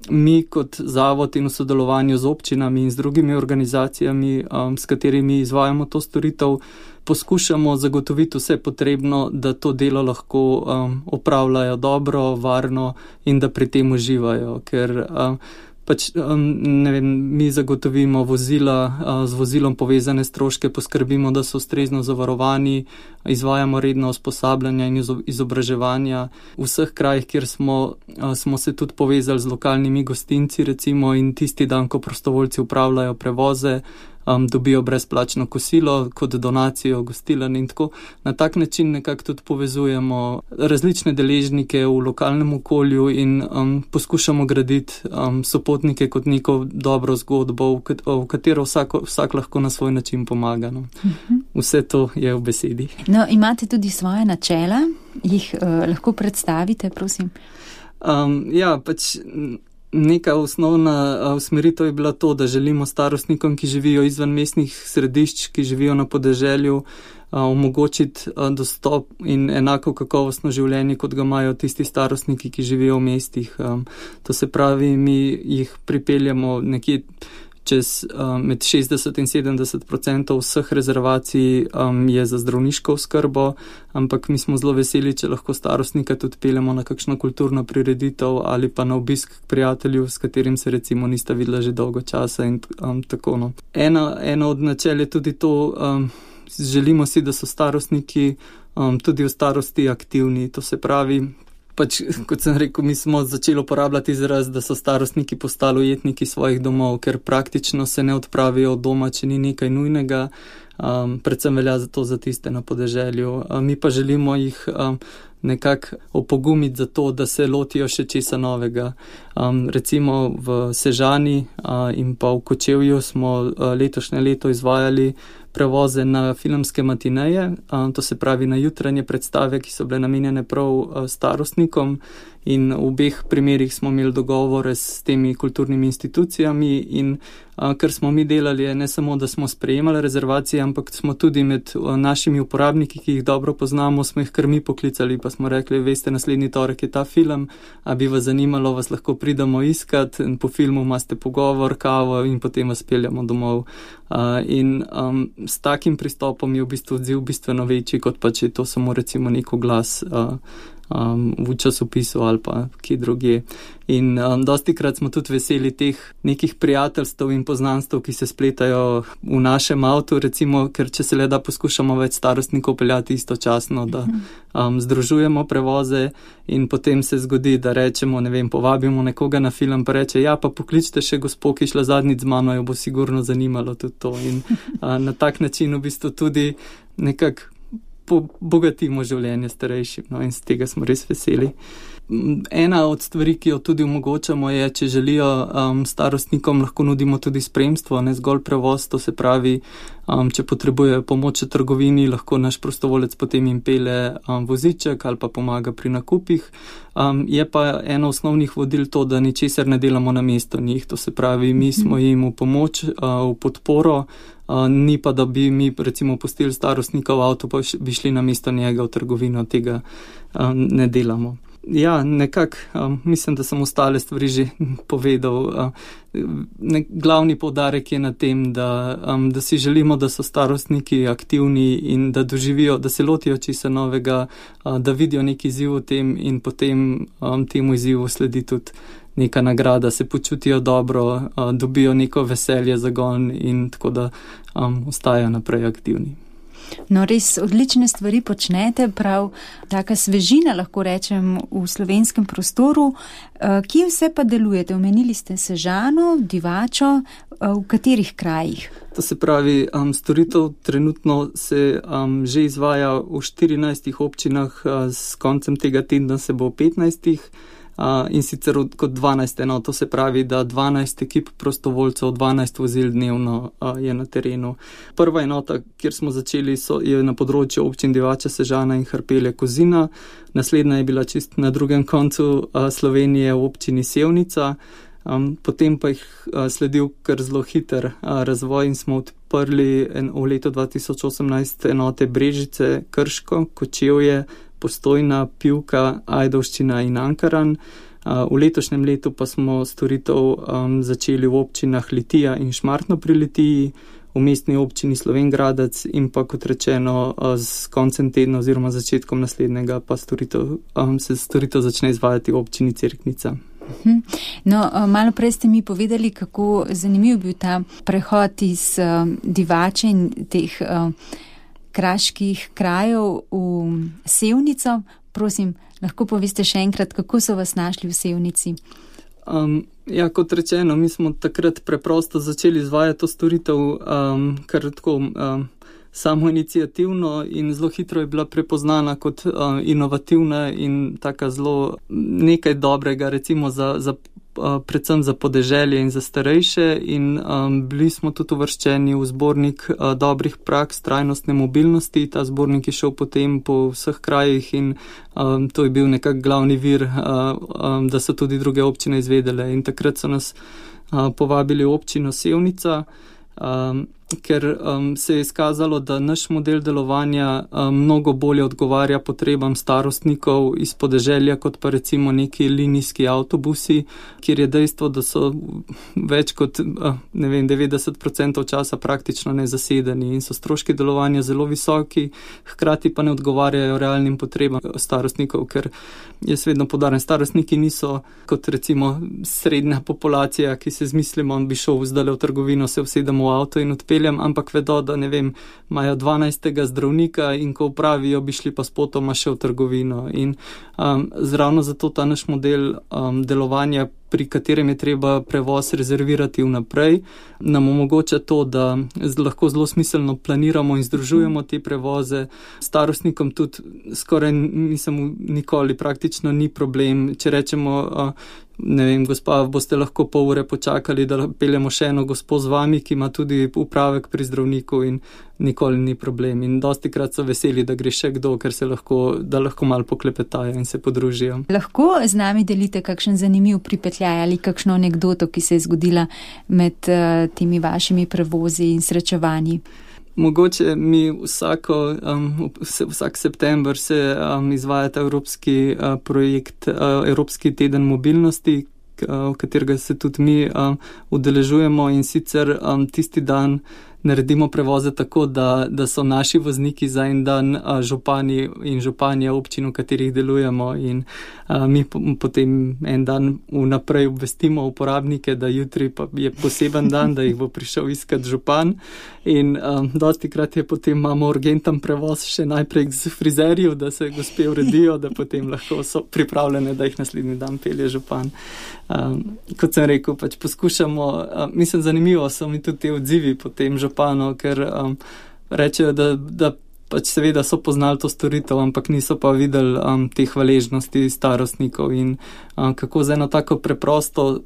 Mi kot zavod in v sodelovanju z občinami in z drugimi organizacijami, s katerimi izvajamo to storitev, poskušamo zagotoviti vse potrebno, da to delo lahko opravljajo dobro, varno in da pri tem uživajo, ker mi zagotovimo vozila, z vozilom povezane stroške, poskrbimo, da so ustrezno zavarovani, izvajamo redno usposabljanja in izobraževanja. V vseh krajih, kjer smo se tudi povezali z lokalnimi gostinci, recimo, in tisti dan, ko prostovoljci upravljajo prevoze, dobijo brezplačno kosilo kot donacijo gostilen in tako. Na tak način nekako tudi povezujemo različne deležnike v lokalnem okolju in poskušamo graditi sopotnike kot neko dobro zgodbo, v katero vsak lahko na svoj način pomaga. No. Vse to je v besedi. No, imate tudi svoje načela, jih lahko predstavite, prosim? Neka osnovna usmeritev je bila to, da želimo starostnikom, ki živijo izven mestnih središč, ki živijo na podeželju, omogočiti dostop in enako kakovostno življenje, kot ga imajo tisti starostniki, ki živijo v mestih. To se pravi, mi jih pripeljamo nekje čez med 60 in 70% vseh rezervacij je za zdravniško oskrbo, ampak mi smo zelo veseli, če lahko starostnika tudi peljemo na kakšno kulturno prireditev ali pa na obisk k prijatelju, s katerim se recimo nista videla že dolgo časa in tako. No. Eno od načel je tudi to, želimo si, da so starostniki tudi v starosti aktivni, to se pravi, kot sem rekel, mi smo začeli uporabljati izraz, da so starostniki postali ujetniki svojih domov, ker praktično se ne odpravijo od doma, če ni nekaj nujnega, predvsem velja za to za tiste na podeželju. Mi pa želimo jih nekako opogumiti za to, da se lotijo še česa novega. Recimo v Sežani in pa v Kočevju smo letošnje leto izvajali prevoze na filmske matineje, to se pravi na jutranje predstave, ki so bile namenjene prav starostnikom In v obeh primerih smo imeli dogovore s temi kulturnimi institucijami in kar smo mi delali je ne samo, da smo sprejemali rezervacije, ampak smo tudi med našimi uporabniki, ki jih dobro poznamo, smo jih kar mi poklicali, pa smo rekli, veste, naslednji torek je ta film, a bi vas zanimalo, vas lahko pridemo iskat in po filmu imate pogovor, kavo in potem vas peljamo domov. In s takim pristopom je v bistvu odziv bistveno večji, kot pa če je to samo recimo nek oglas v časopisu ali pa kje drugje. In dostikrat smo tudi veseli teh nekih prijateljstv in poznanstv, ki se spletajo v našem avtu, recimo, ker če se le da poskušamo več starostnikov peljati istočasno, da združujemo prevoze in potem se zgodi, da rečemo, ne vem, povabimo nekoga na film, pa reče, ja, pa pokličite še gospo, ki šla zadnjič z mano, jo bo sigurno zanimalo tudi to. In na tak način v bistvu tudi nekako bogatimo življenje starejšim, no, in z tega smo res veseli. Ena od stvari, ki jo tudi omogočamo, je, če želijo starostnikom, lahko nudimo tudi spremstvo, ne zgolj prevoz, to se pravi, če potrebujejo pomoč v trgovini, lahko naš prostovolec potem jim pelje voziček ali pa pomaga pri nakupih. Je pa eno osnovnih vodil to, da ničesar ne delamo namesto njih, to se pravi, mi smo jim v pomoč, v podporo, ni pa, da bi mi recimo pustili starostnika v avto, pa bi šli namesto njega v trgovino, tega ne delamo. Ja, nekako mislim, da sem ostale stvari že povedal. Glavni poudarek je na tem, da si želimo, da so starostniki aktivni in da doživijo, da se lotijo česa novega, da vidijo neki izziv v tem in potem temu izzivu sledi tudi neka nagrada, se počutijo dobro, dobijo neko veselje, zagon in tako da ostajajo naprej aktivni. No, res odlične stvari počnete, prav taka svežina, lahko rečem, v slovenskem prostoru. Kje vse pa delujete? Omenili ste Sežano, Divačo, v katerih krajih? To se pravi, storitev trenutno se že izvaja v 14 občinah, s koncem tega tedna se bo v 15. In sicer kot 12 enot, to se pravi, da 12 ekip prostovoljcev, 12 vozil dnevno je na terenu. Prva enota, kjer smo začeli, je na področju občin Divača, Sežana in Hrpelje, Kozina. Naslednja je bila čist na drugem koncu Slovenije v občini Sevnica. Potem pa jih sledil kar zelo hiter razvoj in smo odprli v letu 2018 enote Brežice, Krško, Kočevje, Postojna, Pivka, Ajdovščina in Ankaran. V letošnjem letu pa smo storitev začeli v občinah Litija in Šmartno pri Litiji, v mestni občini Slovenj Gradec in pa, kot rečeno, s koncem tedna oziroma začetkom naslednjega pa se storitev začne izvajati v občini Cerknica. No, malo prej ste mi povedali, kako zanimiv bil ta prehod iz Divače in teh kraških krajev v Sevnico. Prosim, lahko poveste še enkrat, kako so vas našli v Sevnici? Ja, kot rečeno, mi smo takrat preprosto začeli izvajati to storitev, kar tako samo iniciativno in zelo hitro je bila prepoznana kot inovativna in taka zelo nekaj dobrega, recimo predvsem za podeželje in za starejše, in bili smo tudi uvrščeni v zbornik dobrih praks trajnostne mobilnosti. Ta zbornik je šel potem po vseh krajih in to je bil nekak glavni vir, da so tudi druge občine izvedele, in takrat so nas povabili v občino Sevnica, ker se je izkazalo, da naš model delovanja mnogo bolje odgovarja potrebam starostnikov iz podeželja, kot pa recimo neki linijski avtobusi, kjer je dejstvo, da so več kot 90% časa praktično nezasedeni in so stroški delovanja zelo visoki, hkrati pa ne odgovarjajo realnim potrebam starostnikov, ker jaz vedno poudarjam, starostniki niso kot recimo srednja populacija, ki se zmislimo, bi šel zdaj v trgovino, se usedemo v avto in odpeljem, ampak vedo, da ne vem, imajo 12. zdravnika in ko upravijo, bi šli pa spotoma še v trgovino. In ravno zato ta naš model delovanja, pri katerem je treba prevoz rezervirati vnaprej, nam omogoča to, da lahko zelo smiselno planiramo in združujemo te prevoze. Starostnikom tudi skoraj nikoli praktično ni problem, če rečemo, ne vem, gospa, boste lahko pol ure počakali, da peljemo še eno gospo z vami, ki ima tudi upravek pri zdravniku in nikoli ni problem. In dostikrat so veseli, da gre še kdo, ker da lahko malo poklepetajo in se podružijo. Lahko z nami delite kakšen zanimiv pripetljaj ali kakšno anekdoto, ki se je zgodila med temi vašimi prevozi in srečevanji? Mogoče mi vsak september se izvaja ta evropski projekt, Evropski teden mobilnosti, v katerega se tudi mi udeležujemo, in sicer tisti dan naredimo prevoze tako, da so naši vozniki za en dan župani in županja občin, v katerih delujemo, in mi potem en dan vnaprej obvestimo uporabnike, da jutri pa je poseben dan, da jih bo prišel iskat župan, in dostikrat je potem imamo urgenten prevoz še najprej z frizerjev, da se gospe uredijo, da potem lahko so pripravljene, da jih naslednji dan pelje župan. Kot sem rekel, pač poskušamo, mislim, zanimivo so mi tudi te odzivi potem županov, ker rečejo, da pač seveda so poznali to storitev, ampak niso pa videli te hvaležnosti starostnikov in kako za eno tako preprosto,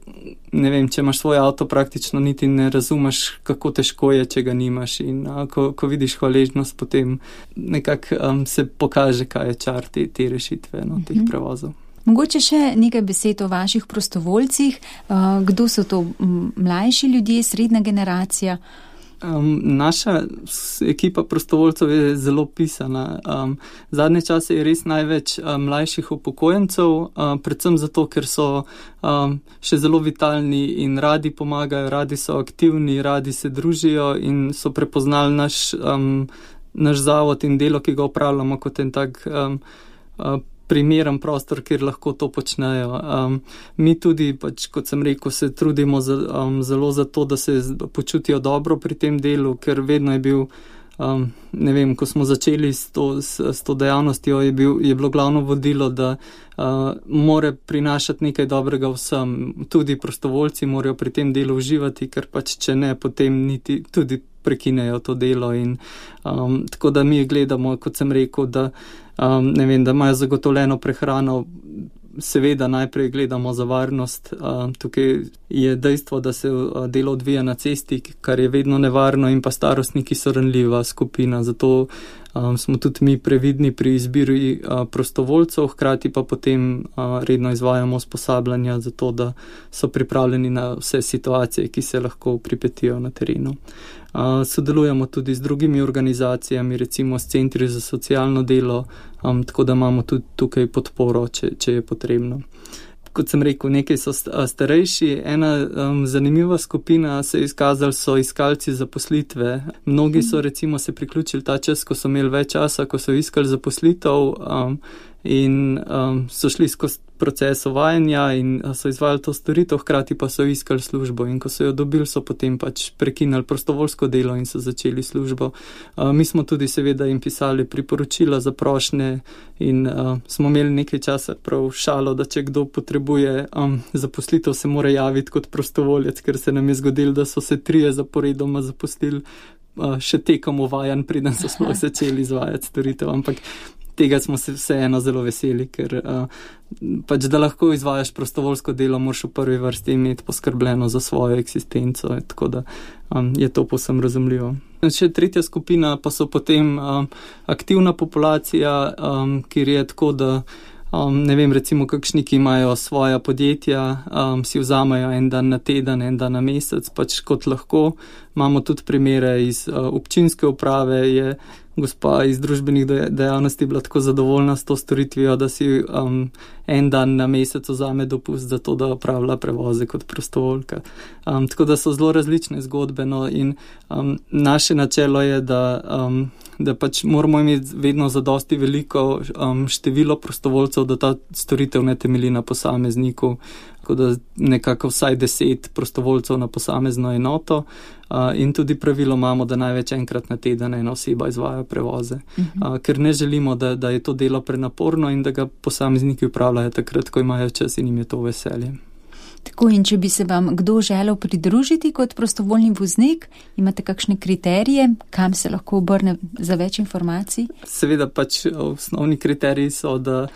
ne vem, če imaš svoj avto, praktično niti ne razumeš, kako težko je, če ga nimaš, in ko vidiš hvaležnost, potem nekako se pokaže, kaj je čar te rešitve, teh prevozov. Mogoče še nekaj besed o vaših prostovoljcih. Kdo so to, mlajši ljudje, srednja generacija? Naša ekipa prostovoljcev je zelo pisana. Zadnje čase je res največ mlajših upokojencev, predvsem zato, ker so še zelo vitalni in radi pomagajo, radi so aktivni, radi se družijo in so prepoznali naš zavod in delo, ki ga opravljamo, kot en tak primeren prostor, kjer lahko to počnejo. Mi tudi, pač, kot sem rekel, se trudimo zelo za to, da se počutijo dobro pri tem delu, ker vedno je bil, ne vem, ko smo začeli s to dejavnostjo, je bilo glavno vodilo, da more prinašati nekaj dobrega vsem. Tudi prostovoljci morajo pri tem delu uživati, ker pač, če ne, potem niti tudi prekinejo to delo, in tako da mi gledamo, kot sem rekel, da ne vem, da imajo zagotovljeno prehrano. Seveda najprej gledamo za varnost. Tukaj je dejstvo, da se delo odvija na cesti, kar je vedno nevarno, in pa starostniki so ranljiva skupina, zato smo tudi mi previdni pri izbiri prostovoljcev, hkrati pa potem redno izvajamo usposabljanja za to, da so pripravljeni na vse situacije, ki se lahko pripetijo na terenu. Sodelujemo tudi z drugimi organizacijami, recimo s centri za socialno delo, tako da imamo tudi tukaj podporo, če je potrebno. Kot sem rekel, nekaj so starejši. Ena zanimiva skupina se je izkazala, so iskalci zaposlitve. Mnogi so recimo se priključili ta čas, ko so imeli več časa, ko so iskali zaposlitev, in so šli skozi proces uvajanja in so izvajali to storitev, hkrati pa so iskali službo, in ko so jo dobili, so potem pač prekinali prostovoljsko delo in so začeli službo. Mi smo tudi seveda jim pisali priporočila za prošnje in smo imeli nekaj časa prav šalo, da če kdo potrebuje zaposlitev, se mora javiti kot prostovoljec, ker se nam je zgodilo, da so se 3 zaporedoma zaposlili še tekom uvajanj, preden so sploh začeli izvajati storitev, ampak tega smo se vseeno zelo veseli, ker pač, da lahko izvajaš prostovoljsko delo, moraš v prvi vrsti imeti poskrbljeno za svojo eksistenco, tako da je to povsem razumljivo. Še tretja skupina pa so potem aktivna populacija, kjer je tako, da ne vem, recimo kakšni, ki imajo svoja podjetja, si vzamejo en dan na teden, en dan na mesec, pač kot lahko. Imamo tudi primere iz občinske uprave, je gospa iz družbenih dejavnosti bila tako zadovoljna s to storitvijo, da si en dan na mesec vzame dopust za to, da opravlja prevoze kot prostovoljka. Tako da so zelo različne zgodbe, no, in naše načelo je, da pač moramo imeti vedno zadosti veliko število prostovoljcev, da ta storitev ne temelji na posamezniku, tako da nekako vsaj 10 prostovoljcev na posamezno enoto, in tudi pravilo imamo, da največ enkrat na teden ena oseba izvaja prevoze, ker ne želimo, da je to delo prenaporno in da ga posamezniki upravljajo takrat, ko imajo čas in jim je to veselje. Tako, in če bi se vam kdo želel pridružiti kot prostovoljni voznik, imate kakšne kriterije, kam se lahko obrne za več informacij? Seveda pač osnovni kriteriji so, da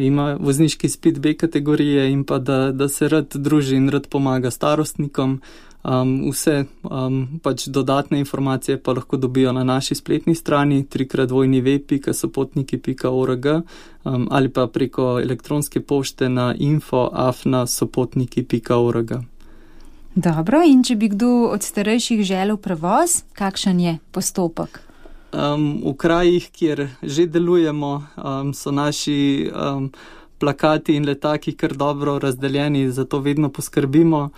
ima vozniški izpit B kategorije in pa da se rad druži in rad pomaga starostnikom. Vse pač dodatne informacije pa lahko dobijo na naši spletni strani www.sopotniki.org ali pa preko elektronske pošte na info@sopotniki.org. Dobro, in če bi kdo od starejših želel prevoz, kakšen je postopek? V krajih, kjer že delujemo, so naši plakati in letaki kar dobro razdeljeni, zato vedno poskrbimo.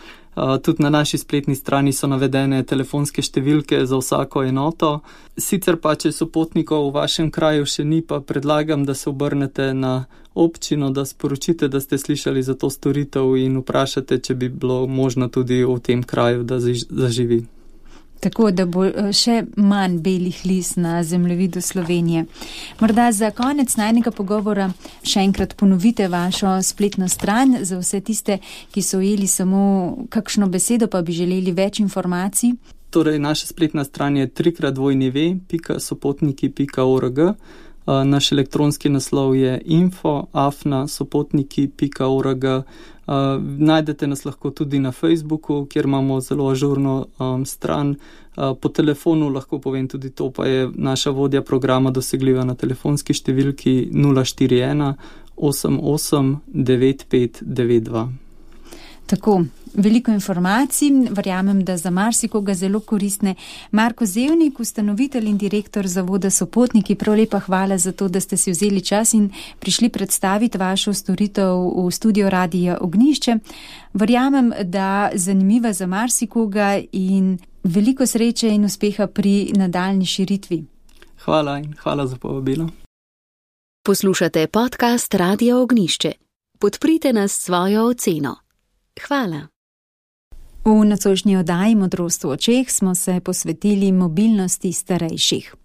Tudi na naši spletni strani so navedene telefonske številke za vsako enoto. Sicer pa, če sopotnikov v vašem kraju še ni, pa predlagam, da se obrnete na občino, da sporočite, da ste slišali za to storitev in vprašate, če bi bilo možno tudi v tem kraju, da zaživi. Tako da bo še manj belih lis na zemljevidu Slovenije. Morda za konec najnega pogovora še enkrat ponovite vašo spletno stran za vse tiste, ki so ujeli samo kakšno besedo, pa bi želeli več informacij. Torej, naša spletna stran je www.sopotniki.org. Naš elektronski naslov je info@sopotniki.org. Najdete nas lahko tudi na Facebooku, kjer imamo zelo ažurno stran. Po telefonu lahko povem tudi to, pa je naša vodja programa dosegljiva na telefonski številki 041 88 9592. Tako, veliko informacij, verjamem, da za marsikoga zelo koristne. Marko Zevnik, ustanovitelj in direktor zavoda Sopotniki, prav lepa hvala za to, da ste si vzeli čas in prišli predstaviti vašo storitev v studio Radia Ognjišče. Verjamem, da zanimiva za marsikoga in veliko sreče in uspeha pri nadaljni širitvi. Hvala in hvala za povabilo. Poslušate podcast Radia Ognjišče. Podprite nas s svojo oceno. Hvala. V nocojšnji oddaji Modrost v očeh smo se posvetili mobilnosti starejših.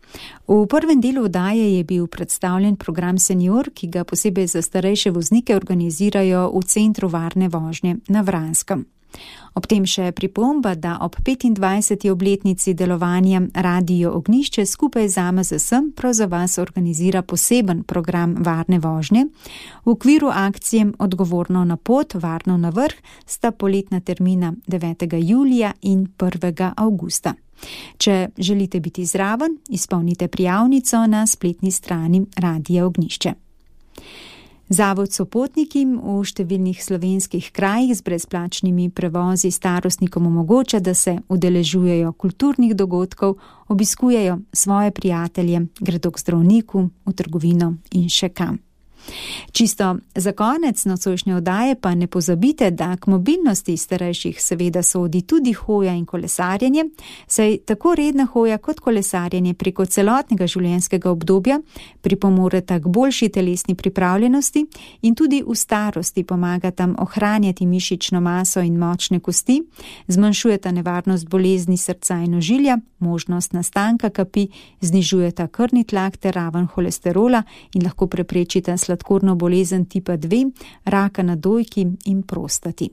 V prvem delu oddaje je bil predstavljen program Senior, ki ga posebej za starejše voznike organizirajo v Centru varne vožnje na Vranskem. Ob tem še pripomba, da ob 25. obletnici delovanja Radio Ognjišče skupaj z AMZS prav za vas organizira poseben program varne vožnje. V okviru akcije Odgovorno na pot, varno na vrh sta poletna termina 9. julija in 1. avgusta. Če želite biti zraven, izpolnite prijavnico na spletni strani Radia Ognjišče. Zavod Sopotniki v številnih slovenskih krajih z brezplačnimi prevozi starostnikom omogoča, da se udeležujejo kulturnih dogodkov, obiskujejo svoje prijatelje, gredo k zdravniku, v trgovino in še kam. Čisto za konec nocojšnje oddaje pa ne pozabite, da k mobilnosti starejših seveda sodi tudi hoja in kolesarjenje, saj tako redna hoja kot kolesarjenje preko celotnega življenjskega obdobja pripomoreta k boljši telesni pripravljenosti in tudi v starosti pomagata ohranjati mišično maso in močne kosti, zmanjšujeta nevarnost bolezni srca in ožilja, možnost nastanka kapi, znižujeta krvni tlak ter raven holesterola in lahko preprečita sladkorno bolezen tipa 2, raka na dojki in prostati.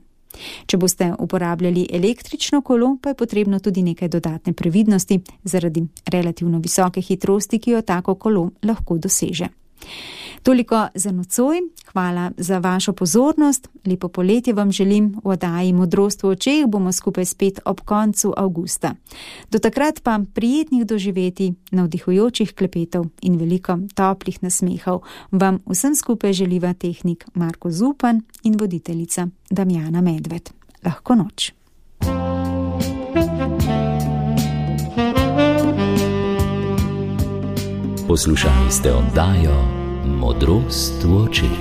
Če boste uporabljali električno kolo, pa je potrebno tudi nekaj dodatne previdnosti zaradi relativno visoke hitrosti, ki jo tako kolo lahko doseže. Toliko za nocoj, hvala za vašo pozornost, lepo poletje vam želim, v oddaji Modrost v očeh bomo skupaj spet ob koncu avgusta. Do takrat pa prijetnih doživeti, navdihujočih klepetov in veliko toplih nasmehov vam vsem skupaj želiva tehnik Marko Zupan in voditeljica Damjana Medved. Lahko noč. Poslušali ste oddajo Modrost v očeh.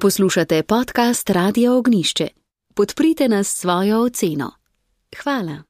Poslušate podcast Radia Ognjišče. Podprite nas s svojo oceno. Hvala.